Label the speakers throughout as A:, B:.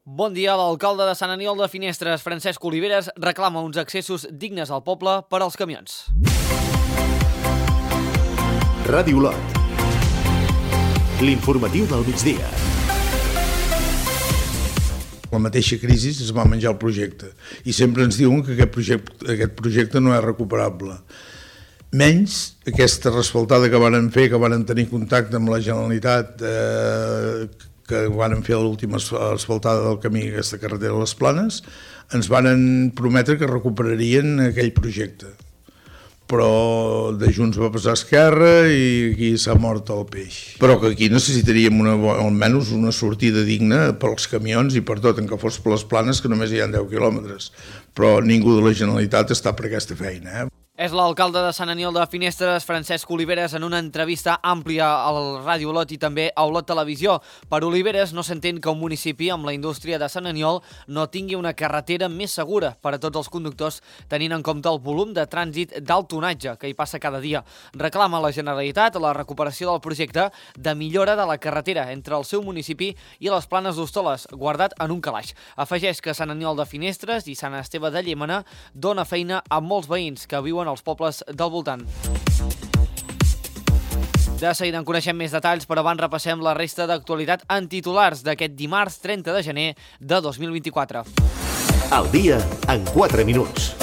A: Bon dia. L'alcalde de Sant Aniol de Finestres, Francesc Oliveres, reclama uns accessos dignes al poble per als camions.
B: Ràdio Lot. L'informatiu del migdia.
C: La mateixa crisi es va menjar el projecte i sempre ens diuen que aquest projecte no és recuperable. Menys aquesta resfaltada que varen fer, que varen tenir contacte amb la Generalitat, que varen fer l'última asfaltada del camí, aquesta carretera de les Planes, ens varen prometre que recuperarien aquell projecte. Però de Junts va passar a Esquerra i aquí s'ha mort el peix. Però que aquí necessitaríem almenys una sortida digna pels camions i per tot, en què fos per les Planes, que només hi ha 10 quilòmetres. Però ningú de la Generalitat està per aquesta feina,
A: És l'alcalde de Sant Aniol de Finestres, Francesc Oliveres, en una entrevista àmplia al Ràdio Lot i també a Olot Televisió. Per Oliveres no s'entén que un municipi amb la indústria de Sant Aniol no tingui una carretera més segura per a tots els conductors, tenint en compte el volum de trànsit d'alt tonatge que hi passa cada dia. Reclama a la Generalitat la recuperació del projecte de millora de la carretera entre el seu municipi i les Planes d'Hostoles, guardat en un calaix. Afegeix que Sant Aniol de Finestres i Sant Esteve de Llémena dona feina a molts veïns que viuen als pobles del voltant. De seguida en coneixem més detalls, però abans repassem la resta d'actualitat en titulars d'aquest dimarts 30 de gener de 2024.
B: Al dia en 4 minuts.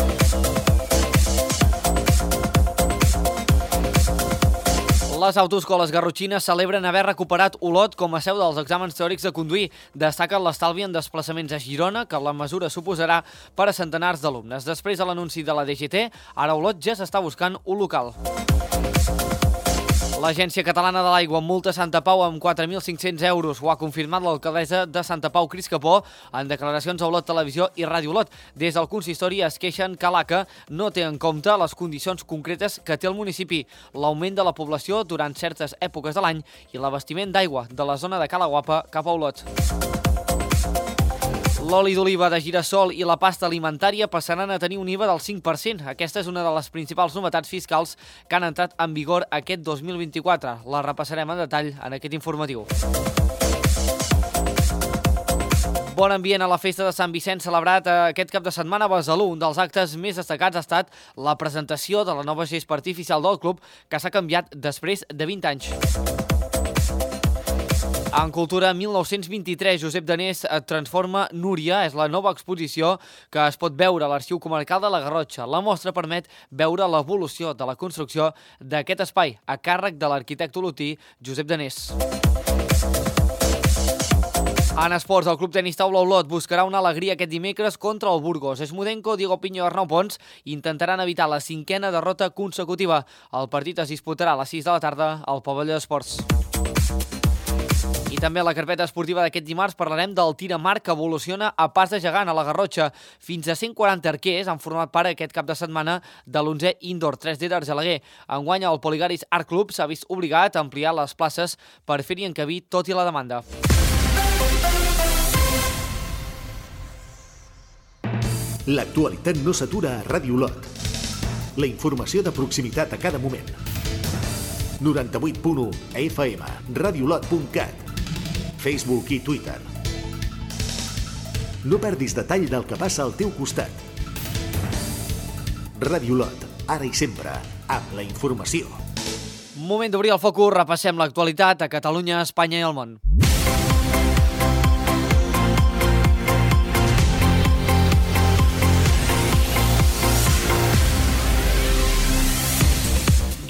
A: Les autoescoles garrotxines celebren haver recuperat Olot com a seu dels exàmens teòrics de conduir. Destaquen l'estalvi en desplaçaments a Girona, que la mesura suposarà per a centenars d'alumnes. Després de l'anunci de la DGT, ara Olot ja s'està buscant un local. L'Agència Catalana de l'Aigua multa Santa Pau amb 4.500 euros. Ho ha confirmat l'alcaldessa de Santa Pau, Cris Capó, en declaracions a Olot Televisió i Ràdio Olot. Des del consistori es queixen que l'ACA no té en compte les condicions concretes que té el municipi, l'augment de la població durant certes èpoques de l'any i l'abastiment d'aigua de la zona de Cala Guapa cap a Olot. L'oli d'oliva de girassol i la pasta alimentària passaran a tenir un IVA del 5%. Aquesta és una de les principals novetats fiscals que han entrat en vigor aquest 2024. La repassarem en detall en aquest informatiu. Bon ambient a la festa de Sant Vicent celebrat aquest cap de setmana a Besalú. Un dels actes més destacats ha estat la presentació de la nova gespa artificial del club, que s'ha canviat després de 20 anys. En Cultura 1923, Josep Danés transforma Núria. És la nova exposició que es pot veure a l'Arxiu Comarcal de la Garrotxa. La mostra permet veure l'evolució de la construcció d'aquest espai, a càrrec de l'arquitecte olotí Josep Danés. En esports, el Club Tenis Taula Olot buscarà una alegria aquest dimecres contra el Burgos. Esmudenko, Diego Piño i Arnau Pons intentaran evitar la 5a derrota consecutiva. El partit es disputarà a les 6 de la tarda al pavelló d'esports. I també a la carpeta esportiva d'aquest dimarts parlarem del tir amb arc que evoluciona a pas de gegant a la Garrotxa. Fins a 140 arquers han format part aquest cap de setmana de l'11è Indoor 3D d'Argelaguer. Enguany el Poligaris Art Club s'ha vist obligat a ampliar les places per fer-hi encabir tot i la demanda.
B: L'actualitat no s'atura a Ràdio Lot. La informació de proximitat a cada moment. 98.1 FM, radiolot.cat, Facebook i Twitter. No perdis detall del que passa al teu costat. Ràdio Lot, ara i sempre, amb la informació.
A: Moment d'obrir el focus, repassem l'actualitat a Catalunya, Espanya i el món.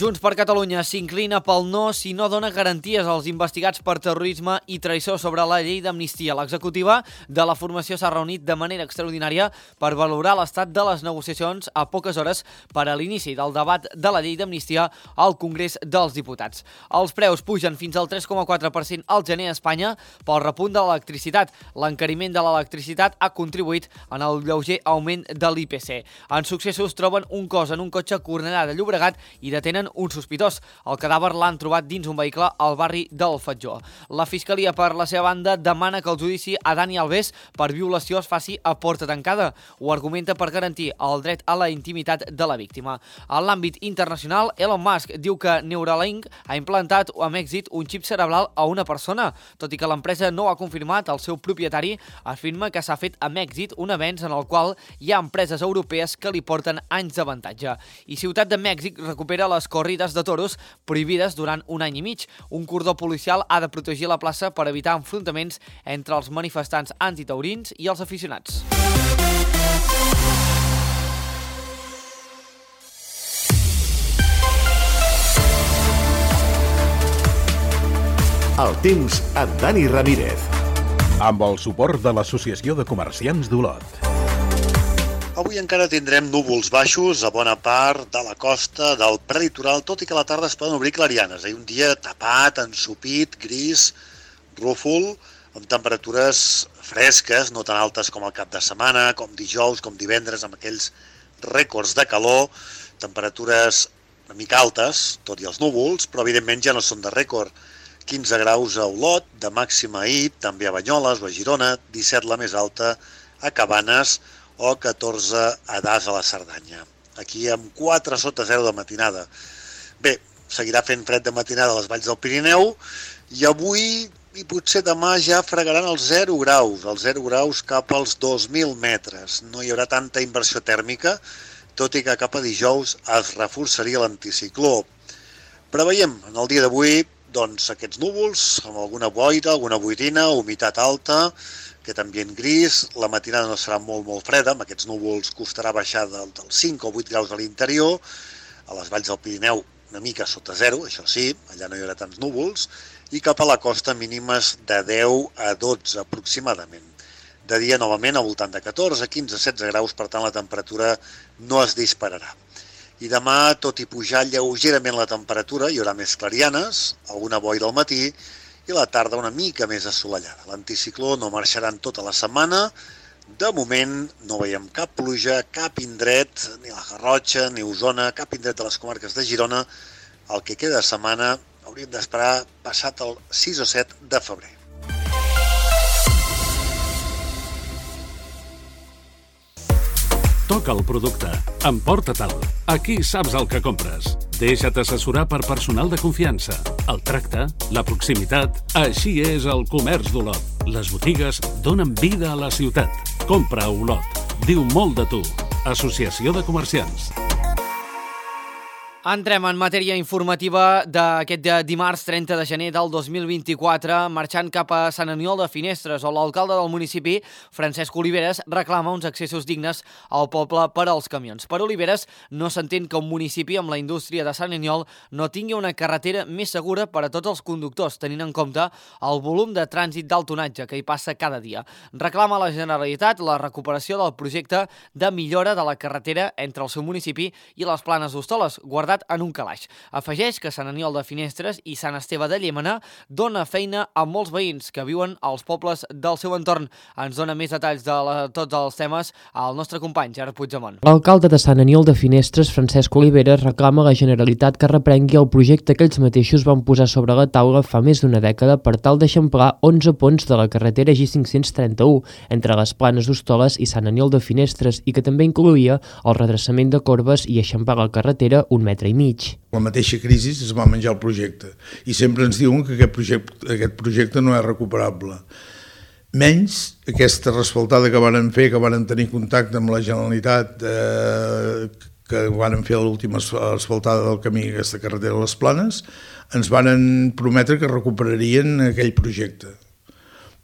A: Junts per Catalunya s'inclina pel no si no dona garanties als investigats per terrorisme i traïció sobre la llei d'amnistia. L'executiva de la formació s'ha reunit de manera extraordinària per valorar l'estat de les negociacions a poques hores per a l'inici del debat de la llei d'amnistia al Congrés dels Diputats. Els preus pugen fins al 3,4% al gener a Espanya pel repunt de l'electricitat. L'encariment de l'electricitat ha contribuït en el lleuger augment de l'IPC. En successos troben un cos en un cotxe a Cornellà de Llobregat i detenen un sospitós. El cadàver l'han trobat dins un vehicle al barri del Fatjó. La Fiscalia, per la seva banda, demana que el judici a Dani Alves per violació es faci a porta tancada. Ho argumenta per garantir el dret a la intimitat de la víctima. En l'àmbit internacional, Elon Musk diu que Neuralink ha implantat amb èxit un xip cerebral a una persona. Tot i que l'empresa no ho ha confirmat, el seu propietari afirma que s'ha fet amb èxit un avenç en el qual hi ha empreses europees que li porten anys d'avantatge. I Ciutat de Mèxic recupera les corrides de toros prohibides durant un any i mig. Un cordó policial ha de protegir la plaça per evitar enfrontaments entre els manifestants antitaurins i els aficionats.
B: El temps amb Dani Ramírez.
D: Amb el suport de l'Associació de Comerciants d'Olot.
E: Avui encara tindrem núvols baixos a bona part de la costa del prelitoral, tot i que a la tarda es poden obrir clarianes. Un dia tapat, ensopit, gris, rúfol, amb temperatures fresques, no tan altes com el cap de setmana, com dijous, com divendres, amb aquells rècords de calor, temperatures una mica altes, tot i els núvols, però evidentment ja no són de rècord. 15 graus a Olot, de màxima ahir, també a Banyoles o a Girona, 17 la més alta a Cabanes o 14 a Das a la Cerdanya. Aquí amb 4 sota 0 de matinada. Bé, seguirà fent fred de matinada a les valls del Pirineu i avui i potser demà ja fregaran els 0 graus cap als 2.000 metres. No hi haurà tanta inversió tèrmica, tot i que cap a dijous es reforçaria l'anticicló. Preveiem en el dia d'avui aquests núvols amb alguna boira, alguna boirina, humitat alta, aquest ambient gris. La matinada no serà molt freda, amb aquests núvols costarà baixar dels 5 o 8 graus a l'interior, a les valls del Pirineu una mica sota 0, això sí, allà no hi haurà tants núvols, i cap a la costa mínimes de 10 a 12 aproximadament. De dia novament al voltant de 14, 15, 16 graus, per tant la temperatura no es dispararà. I demà, tot i pujar lleugerament la temperatura, hi haurà més clarianes, alguna boira al matí i la tarda una mica més assolellada. L'anticicló no marxarà en tota la setmana. De moment no veiem cap pluja, cap indret, ni la Garrotxa, ni Osona, cap indret de les comarques de Girona. El que queda de setmana hauríem d'esperar passat el 6 o 7 de febrer.
F: Toca el producte. Emporta-te'l. Aquí saps el que compres. Deixa't assessorar per personal de confiança. El tracte, la proximitat... Així és el comerç d'Olot. Les botigues donen vida a la ciutat. Compra a Olot. Diu molt de tu. Associació de Comerciants.
A: Entrem en matèria informativa d'aquest dimarts 30 de gener del 2024, marxant cap a Sant Aniol de Finestres, on l'alcalde del municipi, Francesc Oliveres, reclama uns accessos dignes al poble per als camions. Per Oliveres, no s'entén que un municipi amb la indústria de Sant Aniol no tingui una carretera més segura per a tots els conductors, tenint en compte el volum de trànsit d'alt tonatge que hi passa cada dia. Reclama a la Generalitat la recuperació del projecte de millora de la carretera entre el seu municipi i les Planes d'Hostoles, guardat en un calaix. Afegeix que Sant Aniol de Finestres i Sant Esteve de Llémena dona feina a molts veïns que viuen als pobles del seu entorn. Ens dona més detalls de tots els temes el nostre company, Gerard Puigdemont.
G: L'alcalde de Sant Aniol de Finestres, Francesc Oliveres, reclama a la Generalitat que reprengui el projecte que ells mateixos van posar sobre la taula fa més d'una dècada per tal d'eixamplar 11 ponts de la carretera G531 entre les Planes d'Hostoles i Sant Aniol de Finestres i que també incloïa el redreçament de corbes i eixamplar la carretera 1,5 metres.
C: La mateixa crisi es va menjar el projecte i sempre ens diuen que aquest projecte no és recuperable. Menys aquesta resfaltada que varen fer, que varen tenir contacte amb la Generalitat, que varen fer l'última asfaltada del camí d'aquesta carretera a les Planes, ens varen prometre que recuperarien aquell projecte.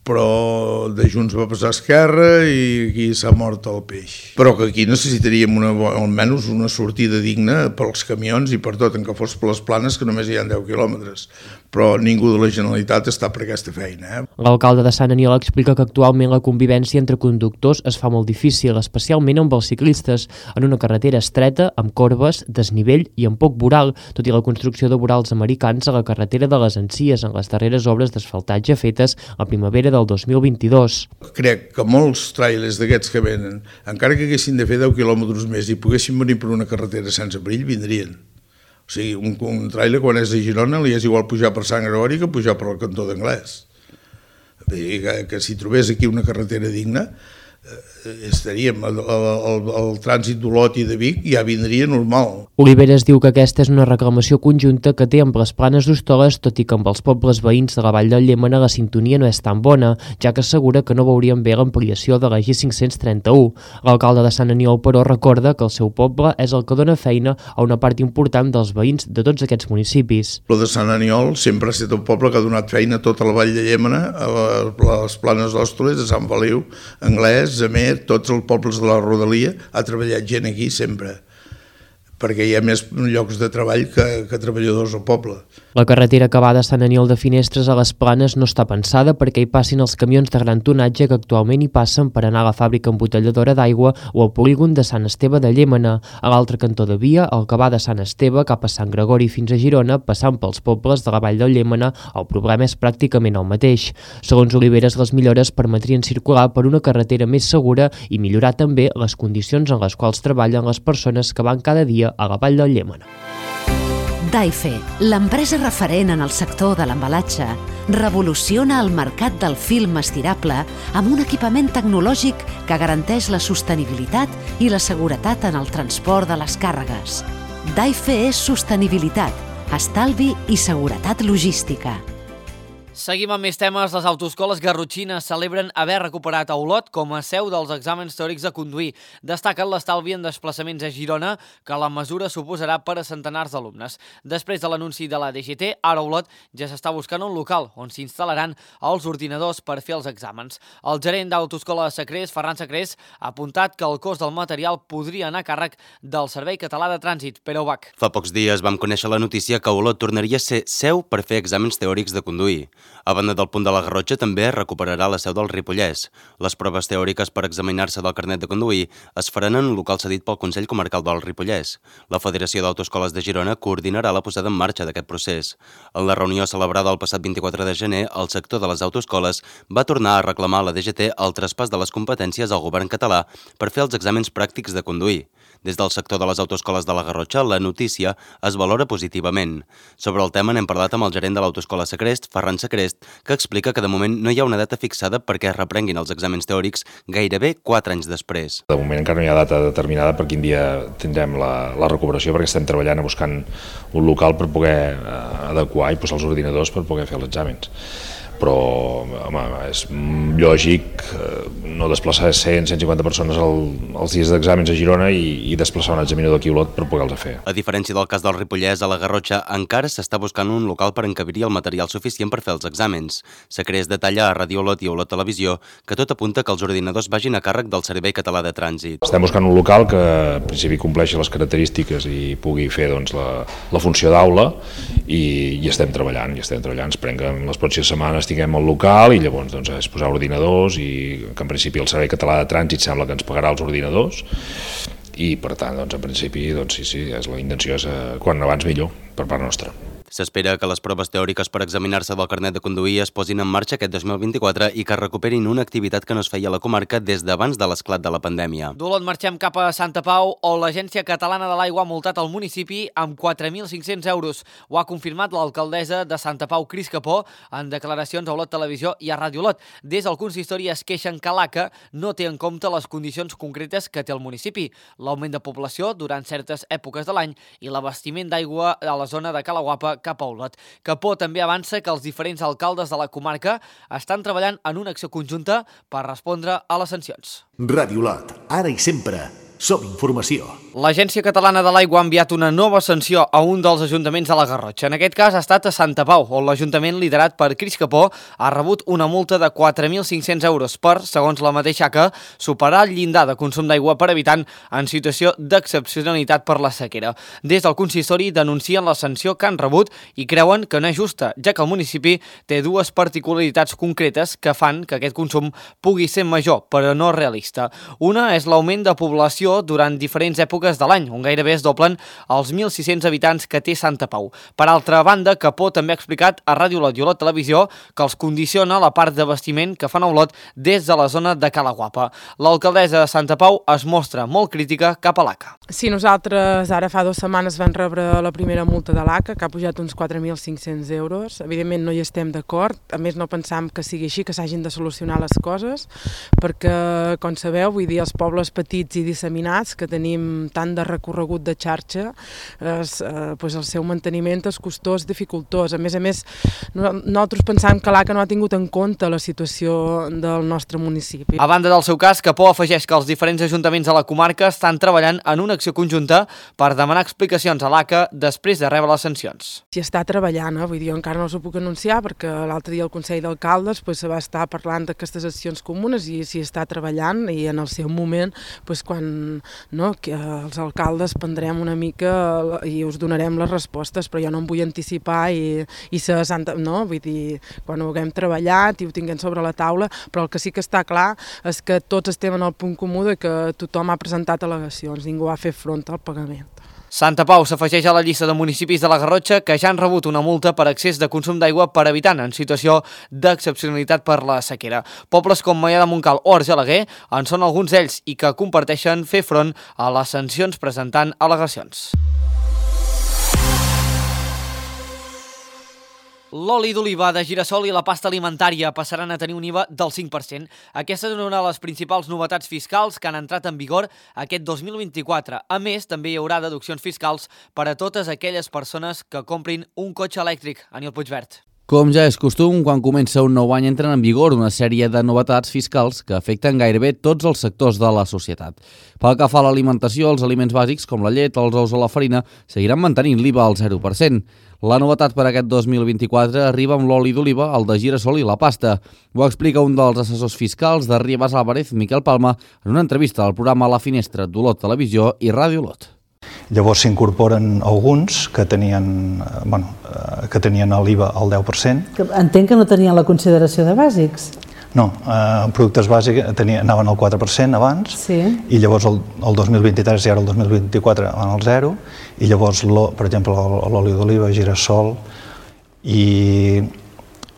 C: Però de Junts va passar a Esquerra i aquí s'ha mort el peix. Però que aquí necessitaríem almenys una sortida digna pels camions i per tot, en que fos per les Planes, que només hi ha 10 quilòmetres. Però ningú de la Generalitat està per aquesta feina.
G: L'alcalde de Sant Aniol explica que actualment la convivència entre conductors es fa molt difícil, especialment amb els ciclistes, en una carretera estreta, amb corbes, desnivell i amb poc voral, tot i la construcció de vorals americans a la carretera de les Encies en les darreres obres d'asfaltatge fetes a primavera del 2022.
C: Crec que molts trailers d'aquests que venen, encara que haguessin de fer 10 quilòmetres més i poguessin venir per una carretera sense perill, vindrien. O sigui, un tràiler quan és a Girona li és igual pujar per Sant Gregori que pujar per el cantó d'Anglès. Que si trobés aquí una carretera digna, estaríem, el trànsit d'Olot i de Vic ja vindria normal.
G: Oliveres diu que aquesta és una reclamació conjunta que té amb les Planes d'Hostoles, tot i que amb els pobles veïns de la Vall del Llémena la sintonia no és tan bona, ja que assegura que no veurien bé l'ampliació de la G531. L'alcalde de Sant Aniol, però, recorda que el seu poble és el que dona feina a una part important dels veïns de tots aquests municipis.
C: El de Sant Aniol sempre ha estat un poble que ha donat feina a tota la Vall de Llémena, a les Planes d'Hostoles, a Sant Feliu, Anglès, Amer, tots els pobles de la rodalia, ha treballat gent aquí sempre, perquè hi ha més llocs de treball que treballadors al poble.
G: La carretera que va de Sant Aniol de Finestres a les Planes no està pensada perquè hi passin els camions de gran tonatge que actualment hi passen per anar a la fàbrica embotelladora d'aigua o al polígon de Sant Esteve de Llémena. A l'altre cantó de via, el que va de Sant Esteve cap a Sant Gregori fins a Girona, passant pels pobles de la Vall del Llémena, el problema és pràcticament el mateix. Segons Oliveres, les millores permetrien circular per una carretera més segura i millorar també les condicions en les quals treballen les persones que van cada dia a la Vall del Llémena.
H: Daife, l'empresa referent en el sector de l'embalatge, revoluciona el mercat del film estirable amb un equipament tecnològic que garanteix la sostenibilitat i la seguretat en el transport de les càrregues. Daife és sostenibilitat, estalvi i seguretat logística.
A: Seguim amb més temes. Les autoescoles garrotxines celebren haver recuperat a Olot com a seu dels exàmens teòrics de conduir. Destaquen l'estalvi en desplaçaments a Girona que la mesura suposarà per a centenars d'alumnes. Després de l'anunci de la DGT, ara a Olot ja s'està buscant un local on s'instal·laran els ordinadors per fer els exàmens. El gerent d'autoescola de Sacrés, Ferran Sacrés, ha apuntat que el cost del material podria anar a càrrec del Servei Català de Trànsit. Pere Ubach.
I: Fa pocs dies vam conèixer la notícia que Olot tornaria a ser seu per fer exàmens teòrics de conduir. A banda del Punt de la Garrotxa també recuperarà la seu del Ripollès. Les proves teòriques per examinar-se del carnet de conduir es faran en un local cedit pel Consell Comarcal del Ripollès. La Federació d'Autoescoles de Girona coordinarà la posada en marxa d'aquest procés. En la reunió celebrada el passat 24 de gener, el sector de les autoescoles va tornar a reclamar a la DGT el traspàs de les competències al govern català per fer els exàmens pràctics de conduir. Des del sector de les autoescoles de la Garrotxa, la notícia es valora positivament. Sobre el tema n'hem parlat amb el gerent de l'autoescola Sacrest, Ferran Sacrest, que explica que de moment no hi ha una data fixada perquè es reprenguin els exàmens teòrics gairebé 4 anys després.
J: De moment encara no hi ha data determinada per quin dia tindrem la recuperació, perquè estem treballant buscant un local per poder adequar i posar els ordinadors per poder fer els exàmens. Però home, és lògic no desplaçar 100-150 persones als dies d'exàmens a Girona i desplaçar un examinador aquí a Olot per poder-los fer.
I: A diferència del cas del Ripollès, a la Garrotxa encara s'està buscant un local per encabir el material suficient per fer els exàmens. Sacrés detalla a Ràdio Olot i Olot Televisió que tot apunta que els ordinadors vagin a càrrec del Servei Català de Trànsit.
J: Estem buscant un local que en principi compleixi les característiques i pugui fer la funció d'aula i estem treballant. Esperem que en les pròximes setmanes tinguem el local i llavors és posar ordinadors i que en principi el Servei Català de Trànsit sembla que ens pagarà els ordinadors i per tant en principi sí, la intenció és quan abans millor per part nostra.
I: S'espera que les proves teòriques per examinar-se del carnet de conduir es posin en marxa aquest 2024 i que recuperin una activitat que no es feia a la comarca des d'abans de l'esclat de la pandèmia.
A: D'Olot marxem cap a Santa Pau, on l'Agència Catalana de l'Aigua ha multat el municipi amb 4.500 euros. Ho ha confirmat l'alcaldessa de Santa Pau, Cris Capó, en declaracions a Olot Televisió i a Ràdio Olot. Des del consistori es queixen que l'ACA no té en compte les condicions concretes que té el municipi, l'augment de població durant certes èpoques de l'any i l'abastiment d'aigua a la zona de Calaguapa cap a Olot. Capó també avança que els diferents alcaldes de la comarca estan treballant en una acció conjunta per respondre a les sancions.
B: Ràdio Olot, ara i sempre. Som informació.
A: L'Agència Catalana de l'Aigua ha enviat una nova sanció a un dels ajuntaments de la Garrotxa. En aquest cas ha estat a Santa Pau, on l'Ajuntament liderat per Cris Capó ha rebut una multa de 4.500 euros per, segons la mateixa ACA, superar el llindar de consum d'aigua per habitant en situació d'excepcionalitat per la sequera. Des del consistori denuncien la sanció que han rebut i creuen que no és justa, ja que el municipi té dues particularitats concretes que fan que aquest consum pugui ser major, però no realista. Una és l'augment de població població durant diferents èpoques de l'any, on gairebé es doblen els 1.600 habitants que té Santa Pau. Per altra banda, Capó també ha explicat a Ràdio Olot i Olot Televisió que els condiciona la part de bastiment que fan a Olot des de la zona de Cala Guapa. L'alcaldessa de Santa Pau es mostra molt crítica cap a l'ACA.
K: Sí, nosaltres ara fa 2 setmanes vam rebre la primera multa de l'ACA, que ha pujat uns 4.500 euros. Evidentment no hi estem d'acord, a més no pensam que sigui així, que s'hagin de solucionar les coses, perquè, com sabeu, vull dir, els pobles petits i disseminats, que tenim tant de recorregut de xarxa, el seu manteniment és costós, dificultós. A més, nosaltres pensam que l'ACA no ha tingut en compte la situació del nostre municipi.
A: A banda del seu cas, Capó afegeix que els diferents ajuntaments de la comarca estan treballant en una acció conjunta per demanar explicacions a l'ACA després de rebre les sancions.
K: S'hi està treballant, vull dir, encara no us ho puc anunciar perquè l'altre dia el Consell d'Alcaldes va estar parlant d'aquestes accions comunes i s'hi està treballant i en el seu moment, quan els alcaldes prendrem una mica i us donarem les respostes, però jo no em vull anticipar vull dir, quan ho haguem treballat i ho tinguem sobre la taula, però el que sí que està clar és que tots estem en el punt comú de que tothom ha presentat al·legacions, ningú ha fet front al pagament.
A: Santa Pau s'afegeix a la llista de municipis de la Garrotxa que ja han rebut una multa per excés de consum d'aigua per habitant en situació d'excepcionalitat per la sequera. Pobles com Maià de Montcal o Argelaguer en són alguns d'ells i que comparteixen fer front a les sancions presentant al·legacions. L'oli d'oliva de girassol i la pasta alimentària passaran a tenir un IVA del 5%. Aquesta és una de les principals novetats fiscals que han entrat en vigor aquest 2024. A més, també hi haurà deduccions fiscals per a totes aquelles persones que comprin un cotxe elèctric. Aniol Puigvert.
L: Com ja és costum, quan comença un nou any entren en vigor una sèrie de novetats fiscals que afecten gairebé tots els sectors de la societat. Pel que fa a l'alimentació, els aliments bàsics com la llet, els ous o la farina seguiran mantenint l'IVA al 0%. La novetat per aquest 2024 arriba amb l'oli d'oliva, el de girassol i la pasta. Ho explica un dels assessors fiscals de Ribas Álvarez, Miquel Palma, en una entrevista al programa La Finestra d'Olot Televisió i Ràdio Olot.
M: Llavors s'incorporen alguns que tenien l'IVA al 10%.
N: Entenc que no tenien la consideració de bàsics.
M: No, productes bàsics anaven al 4% abans, sí. I llavors el 2023 i ara el 2024 van al 0, i llavors, per exemple, l'oli d'oliva, girassol i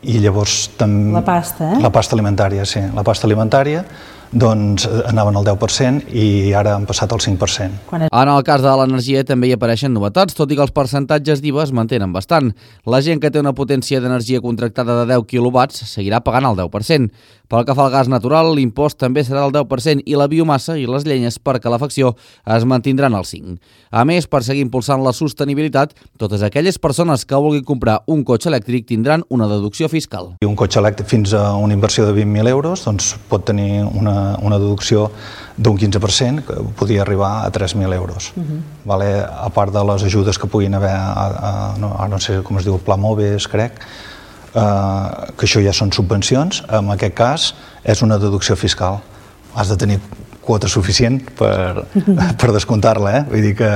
M: llavors també...
N: La pasta,
M: La pasta alimentària, sí. La pasta alimentària doncs anaven al 10% i ara han passat al 5%.
L: En el cas de l'energia també hi apareixen novetats, tot i que els percentatges d'IVA es mantenen bastant. La gent que té una potència d'energia contractada de 10 quilowatts seguirà pagant el 10%. Pel que fa al gas natural, l'impost també serà del 10% i la biomassa i les llenyes per calefacció es mantindran al 5%. A més, per seguir impulsant la sostenibilitat, totes aquelles persones que vulguin comprar un cotxe elèctric tindran una deducció fiscal.
M: Un cotxe elèctric fins a una inversió de 20.000 euros doncs pot tenir una deducció d'un 15%, que podria arribar a 3.000 euros. A part de les ajudes que puguin haver, no sé com es diu, Pla Moves, crec, que això ja són subvencions, en aquest cas és una deducció fiscal. Has de tenir quota suficient per descomptar-la, vull dir que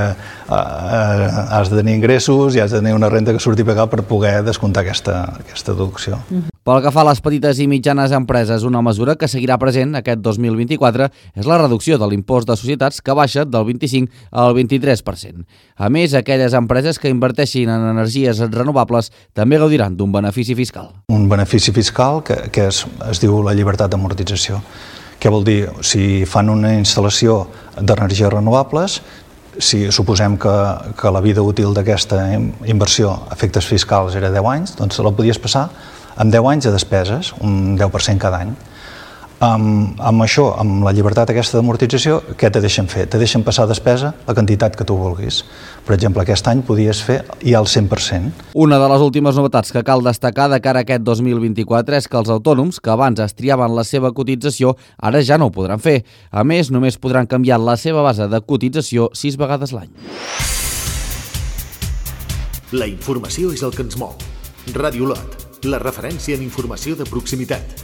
M: has de tenir ingressos i has de tenir una renda que surti a pagar per poder descomptar aquesta deducció.
L: Pel que fa a les petites i mitjanes empreses, una mesura que seguirà present aquest 2024 és la reducció de l'impost de societats que baixa del 25 al 23%. A més, aquelles empreses que inverteixin en energies renovables també gaudiran d'un benefici fiscal.
M: Un benefici fiscal que es diu la llibertat d'amortització. Què vol dir? Si fan una instal·lació d'energies renovables, si suposem que la vida útil d'aquesta inversió a efectes fiscals era 10 anys, doncs la podies passar amb 10 anys de despeses, un 10% cada any. Amb això, amb la llibertat aquesta d'amortització, què te deixen fer? Te deixen passar despesa la quantitat que tu vulguis. Per exemple, aquest any podies fer ja el 100%.
L: Una de les últimes novetats que cal destacar de cara a aquest 2024 és que els autònoms que abans es triaven la seva cotització ara ja no ho podran fer. A més, només podran canviar la seva base de cotització 6 vegades l'any.
B: La informació és el que ens mou. Ràdio Olot, la referència en informació de proximitat.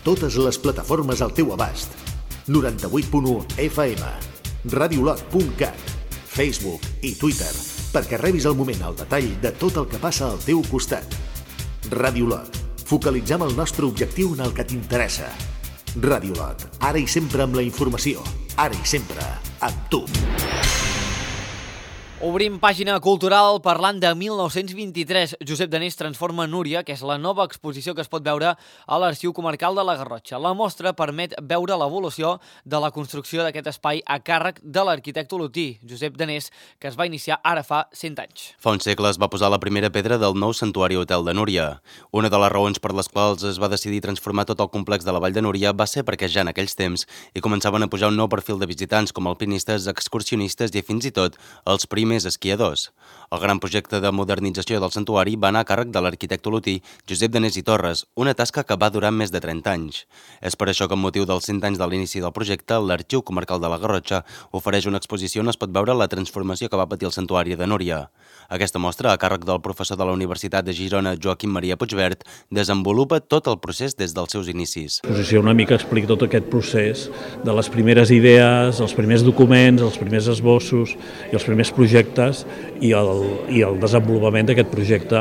B: Totes les plataformes al teu abast. 98.1 FM, radiolot.cat, Facebook i Twitter, perquè rebis al moment el detall de tot el que passa al teu costat. Ràdio Olot, focalitzem el nostre objectiu en el que t'interessa. Ràdio Lot, ara i sempre amb la informació. Ara i sempre amb tu.
A: Obrim pàgina cultural parlant de 1923. Josep Danés transforma Núria, que és la nova exposició que es pot veure a l'Arxiu Comarcal de la Garrotxa. La mostra permet veure l'evolució de la construcció d'aquest espai a càrrec de l'arquitecte olotí, Josep Danés, que es va iniciar ara fa 100 anys.
I: Fa un segle es va posar la primera pedra del nou santuari hotel de Núria. Una de les raons per les quals es va decidir transformar tot el complex de la Vall de Núria va ser perquè ja en aquells temps hi començaven a pujar un nou perfil de visitants com alpinistes, excursionistes i fins i tot els primers esquiadors. El gran projecte de modernització del santuari va anar a càrrec de l'arquitecte olotí Josep Danés i Torres, una tasca que va durar més de 30 anys. És per això que, amb motiu dels 100 anys de l'inici del projecte, l'Arxiu Comarcal de la Garrotxa ofereix una exposició on es pot veure la transformació que va patir el santuari de Núria. Aquesta mostra, a càrrec del professor de la Universitat de Girona, Joaquim Maria Puigvert, desenvolupa tot el procés des dels seus inicis.
O: L'exposició una mica explica tot aquest procés de les primeres idees, els primers documents, els primers esbossos i els primers projectes i el desenvolupament d'aquest projecte,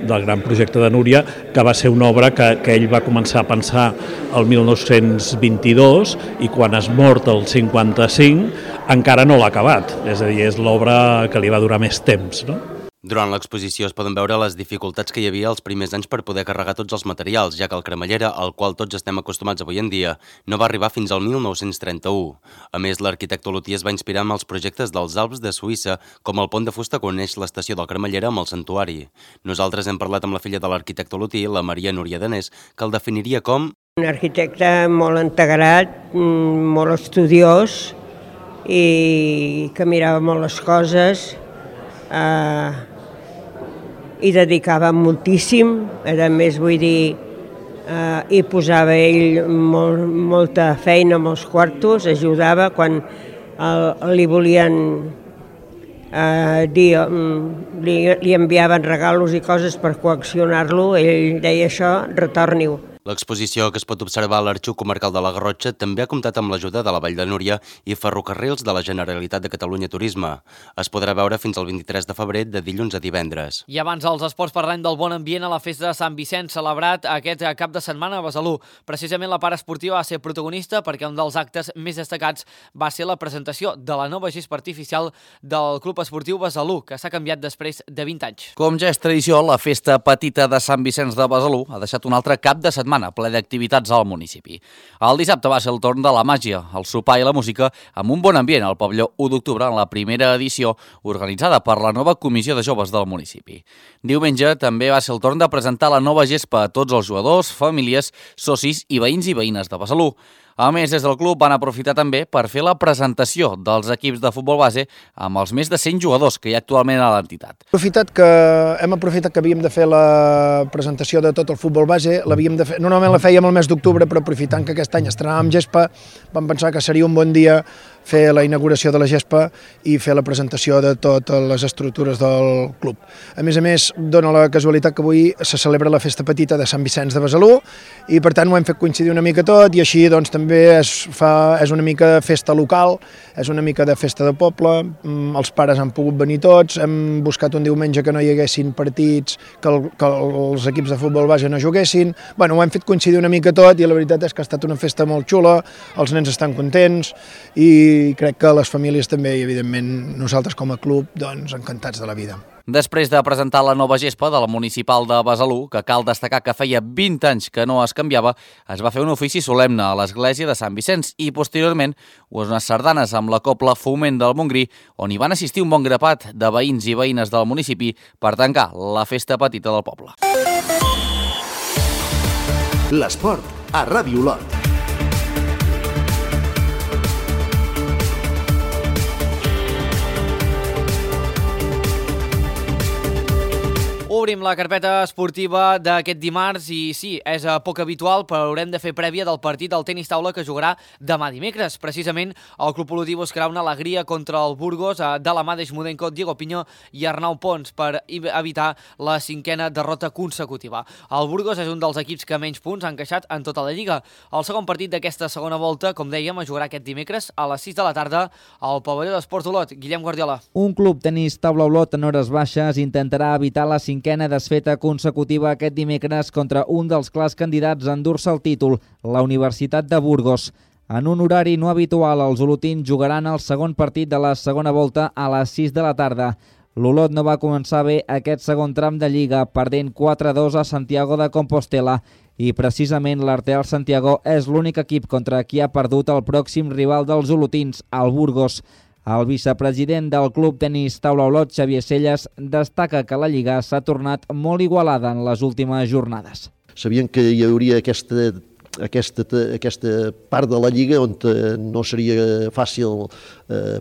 O: del gran projecte de Núria, que va ser una obra que ell va començar a pensar el 1922 i quan es mort el 55 encara no l'ha acabat, és a dir, és l'obra que li va durar més temps, no?
I: Durant l'exposició es poden veure les dificultats que hi havia els primers anys per poder carregar tots els materials, ja que el cremallera, al qual tots estem acostumats avui en dia, no va arribar fins al 1931. A més, l'arquitecte olotí es va inspirar amb els projectes dels Alps de Suïssa, com el pont de fusta que uneix l'estació del cremallera amb el santuari. Nosaltres hem parlat amb la filla de l'arquitecte olotí, la Maria Núria Danés, que el definiria com
P: un arquitecte molt integrat, molt estudiós i que mirava molt les coses, i dedicava moltíssim, a més vull dir, hi posava ell molta feina, molts quartos, ajudava quan li volien dir, li enviaven regalos i coses per coaccionar-lo, ell deia això, retorni-ho.
I: L'exposició, que es pot observar a l'Arxiu Comarcal de la Garrotxa, també ha comptat amb l'ajuda de la Vall de Núria i Ferrocarrils de la Generalitat de Catalunya Turisme. Es podrà veure fins al 23 de febrer, de dilluns a divendres.
A: I abans dels esports parlem del bon ambient a la festa de Sant Vicenç, celebrat aquest cap de setmana a Besalú. Precisament la part esportiva va ser protagonista perquè un dels actes més destacats va ser la presentació de la nova gespa artificial del Club Esportiu Besalú, que s'ha canviat després de 20 anys.
L: Com ja és tradició, la festa petita de Sant Vicenç de Besalú ha deixat un altre cap de setmana ple d'activitats al municipi. El dissabte va ser el torn de la màgia, el sopar i la música amb un bon ambient al pavelló 1 d'octubre en la primera edició organitzada per la nova Comissió de Joves del municipi. Diumenge també va ser el torn de presentar la nova gespa a tots els jugadors, famílies, socis i veïns i veïnes de Besalú. A més, des del club van aprofitar també per fer la presentació dels equips de futbol base amb els més de 100 jugadors que hi ha actualment a l'entitat.
Q: Hem aprofitat que havíem de fer la presentació de tot el futbol base, normalment la fèiem el mes d'octubre, però aprofitant que aquest any estrenàvem gespa, vam pensar que seria un bon dia fer la inauguració de la gespa i fer la presentació de totes les estructures del club. A més, dona la casualitat que avui se celebra la festa petita de Sant Vicenç de Besalú i per tant ho hem fet coincidir una mica tot i així doncs també és una mica de festa local, és una mica de festa de poble, els pares han pogut venir tots, hem buscat un diumenge que no hi haguessin partits, que els equips de futbol base no juguessin, ho hem fet coincidir una mica tot i la veritat és que ha estat una festa molt xula, els nens estan contents i crec que les famílies també i evidentment nosaltres com a club doncs encantats de la vida.
L: Després de presentar la nova gespa de la municipal de Besalú, que cal destacar que feia 20 anys que no es canviava, es va fer un ofici solemne a l'església de Sant Vicenç i posteriorment unes sardanes amb la cobla Foment del Montgrí, on hi van assistir un bon grapat de veïns i veïnes del municipi per tancar la festa petita del poble.
B: L'esport a Ràdio Lot.
A: Obrim la carpeta esportiva d'aquest dimarts i sí, és poc habitual, però haurem de fer prèvia del partit del tenis taula que jugarà demà dimecres. Precisament, el club olotí buscarà una alegria contra el Burgos de la mà d'Eixmudenko, Diego Piño i Arnau Pons per evitar la 5a derrota consecutiva. El Burgos és un dels equips que menys punts han encaixat en tota la Lliga. El segon partit d'aquesta segona volta, com dèiem, es jugarà aquest dimecres a les 6 de la tarda al pavelló d'Esports Olot. Guillem Guardiola.
R: Un club tenis taula Olot en hores baixes intentarà evitar la 5a 11a desfeta consecutiva aquest dimecres contra un dels clars candidats a endur-se el títol, la Universitat de Burgos. En un horari no habitual, els olotins jugaran el segon partit de la segona volta a les 6 de la tarda. L'Olot no va començar bé aquest segon tram de Lliga, perdent 4-2 a Santiago de Compostela, i precisament l'Arteal Santiago és l'únic equip contra qui ha perdut el pròxim rival dels olotins, el Burgos. El vicepresident del Club Tenis Taula Olot, Xavier Selles, destaca que la Lliga s'ha tornat molt igualada en les últimes jornades.
S: Sabien que hi hauria aquesta part de la Lliga on no seria fàcil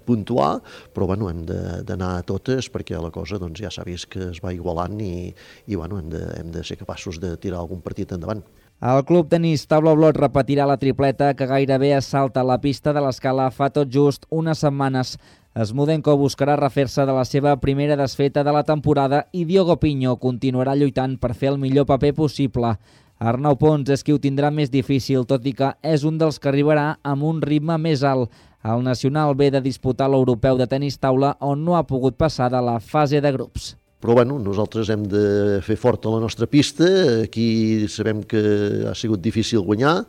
S: puntuar, però bueno, hem d'anar a totes perquè la cosa ja s'ha vist que es va igualant i bueno, hem de ser capaços de tirar algun partit endavant.
R: El Club Tenis Taula Olot repetirà la tripleta que gairebé assalta la pista de l'Escala fa tot just unes setmanes. Smudenko buscarà refer-se de la seva primera desfeta de la temporada i Diogo Pinho continuarà lluitant per fer el millor paper possible. Arnau Pons és qui ho tindrà més difícil, tot i que és un dels que arribarà amb un ritme més alt. El nacional ve de disputar l'europeu de tenis taula on no ha pogut passar de la fase de grups.
S: Però bueno, nosaltres hem de fer forta la nostra pista, aquí sabem que ha sigut difícil guanyar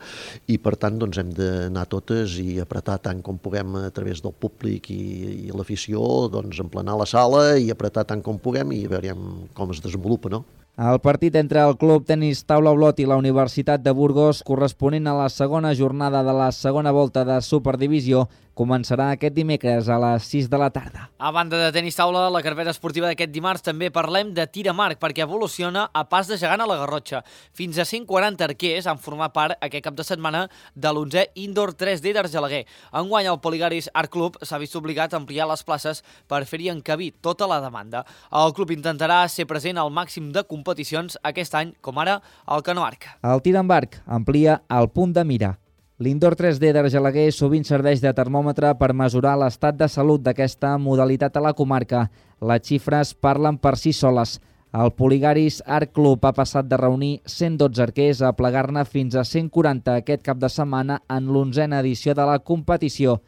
S: i per tant hem d'anar totes i apretar tant com puguem a través del públic i l'afició, emplenar la sala i apretar tant com puguem i veurem com es desenvolupa, no?
R: El partit entre el Club Tenis Taula Olot i la Universitat de Burgos, corresponent a la segona jornada de la segona volta de Superdivisió, començarà aquest dimecres a les 6 de la tarda.
A: A banda de tenis taula, la carpeta esportiva d'aquest dimarts també parlem de tir amb arc, perquè evoluciona a pas de gegant a la Garrotxa. Fins a 140 arquers han format part aquest cap de setmana de l'11è Indoor 3D d'Argelaguer. Enguany el Poligaris Art Club s'ha vist obligat a ampliar les places per fer-hi encabir tota la demanda. El club intentarà ser present al màxim de competicions aquest any, com ara el cano arc.
R: El tir amb arc amplia el punt de mira. L'Indoor 3D d'Argelaguer sovint serveix de termòmetre per mesurar l'estat de salut d'aquesta modalitat a la comarca. Les xifres parlen per si soles. El Poligaris Art Club ha passat de reunir 112 arquers a plegar-ne fins a 140 aquest cap de setmana en l'11a edició de la competició.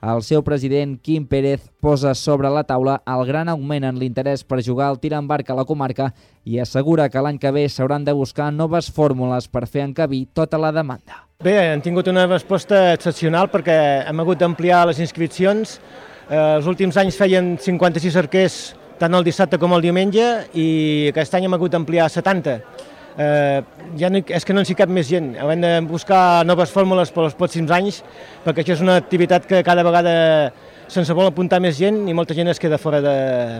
R: El seu president, Quim Pérez, posa sobre la taula el gran augment en l'interès per jugar al tir amb arc a la comarca i assegura que l'any que ve s'hauran de buscar noves fórmules per fer encabir tota la demanda.
T: Bé, hem tingut una resposta excepcional perquè hem hagut d'ampliar les inscripcions. Els últims anys feien 56 arquers tant el dissabte com el diumenge i aquest any hem hagut d'ampliar 70. És que no ens hi cap més gent. Hem de buscar noves fórmules per als pròxims anys perquè això és una activitat que cada vegada se'ns vol apuntar més gent i molta gent es queda fora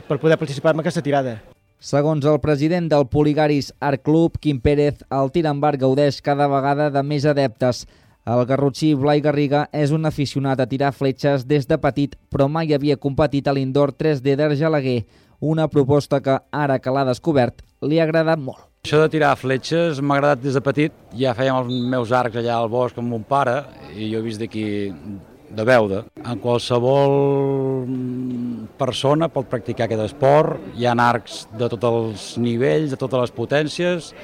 T: per poder participar en aquesta tirada.
R: Segons el president del Poligaris Art Club, Quim Pérez, el tir amb arc gaudeix cada vegada de més adeptes. El garrotxí Blai Garriga és un aficionat a tirar fletxes des de petit, però mai havia competit a l'Indoor 3D d'Argelaguer, una proposta que, ara que l'ha descobert, li ha agradat molt.
U: Això de tirar fletxes m'ha agradat des de petit. Ja fèiem els meus arcs allà al bosc amb mon pare i jo he vist d'aquí de Beuda. En qualsevol persona pot practicar aquest esport, hi ha arcs de tots els nivells, de totes les potències,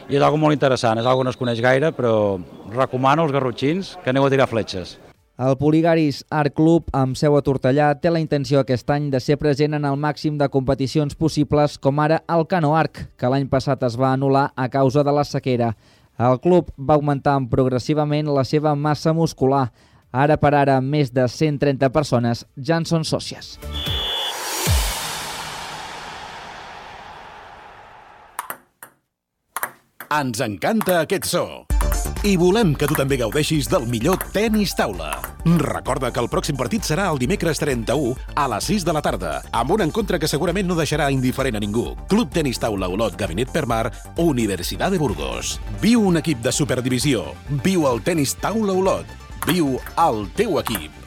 U: i és algo molt interessant, és algo que no es coneix gaire, però recomano als garrotxins que aneu a tirar fletxes.
R: El Poligaris Art Club, amb seu a Tortellà, té la intenció aquest any de ser present en el màxim de competicions possibles, com ara el cano arc, que l'any passat es va anul·lar a causa de la sequera. El club va augmentant progressivament la seva massa muscular. Ara per ara, més de 130 persones ja en són sòcies.
D: Ens encanta aquest so. I volem que tu també gaudeixis del millor tenis taula. Recorda que el pròxim partit serà el dimecres 31 a les 6 de la tarda, amb un encontre que segurament no deixarà indiferent a ningú. Club Tenis Taula Olot Gabinet Permar, Universitat de Burgos. Viu un equip de Superdivisió. Viu el tenis taula Olot. Viu el teu equip.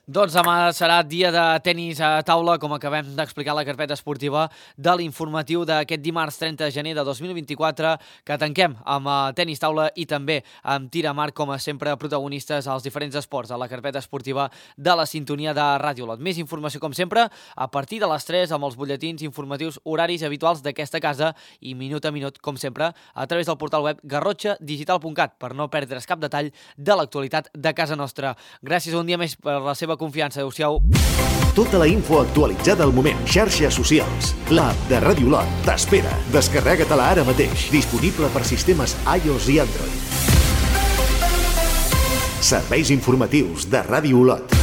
A: Doncs demà serà dia de tenis a taula, com acabem d'explicar la carpeta esportiva de l'informatiu d'aquest dimarts 30 de gener de 2024, que tanquem amb tenis taula i també amb tir amb arc, com a sempre protagonistes als diferents esports a la carpeta esportiva de la sintonia de Ràdio Olot. Més informació, com sempre, a partir de les 3 amb els butlletins informatius horaris habituals d'aquesta casa i minut a minut, com sempre, a través del portal web garrotxadigital.cat per no perdre's cap detall de l'actualitat de casa nostra. Gràcies un dia més per la seva de confiança. Adéu-siau.
B: Tota la info actualitzada al moment. Xarxes socials. L'app de Ràdio Olot t'espera. Descarrega-te-la ara mateix. Disponible per sistemes iOS i Android. Serveis informatius de Ràdio Olot.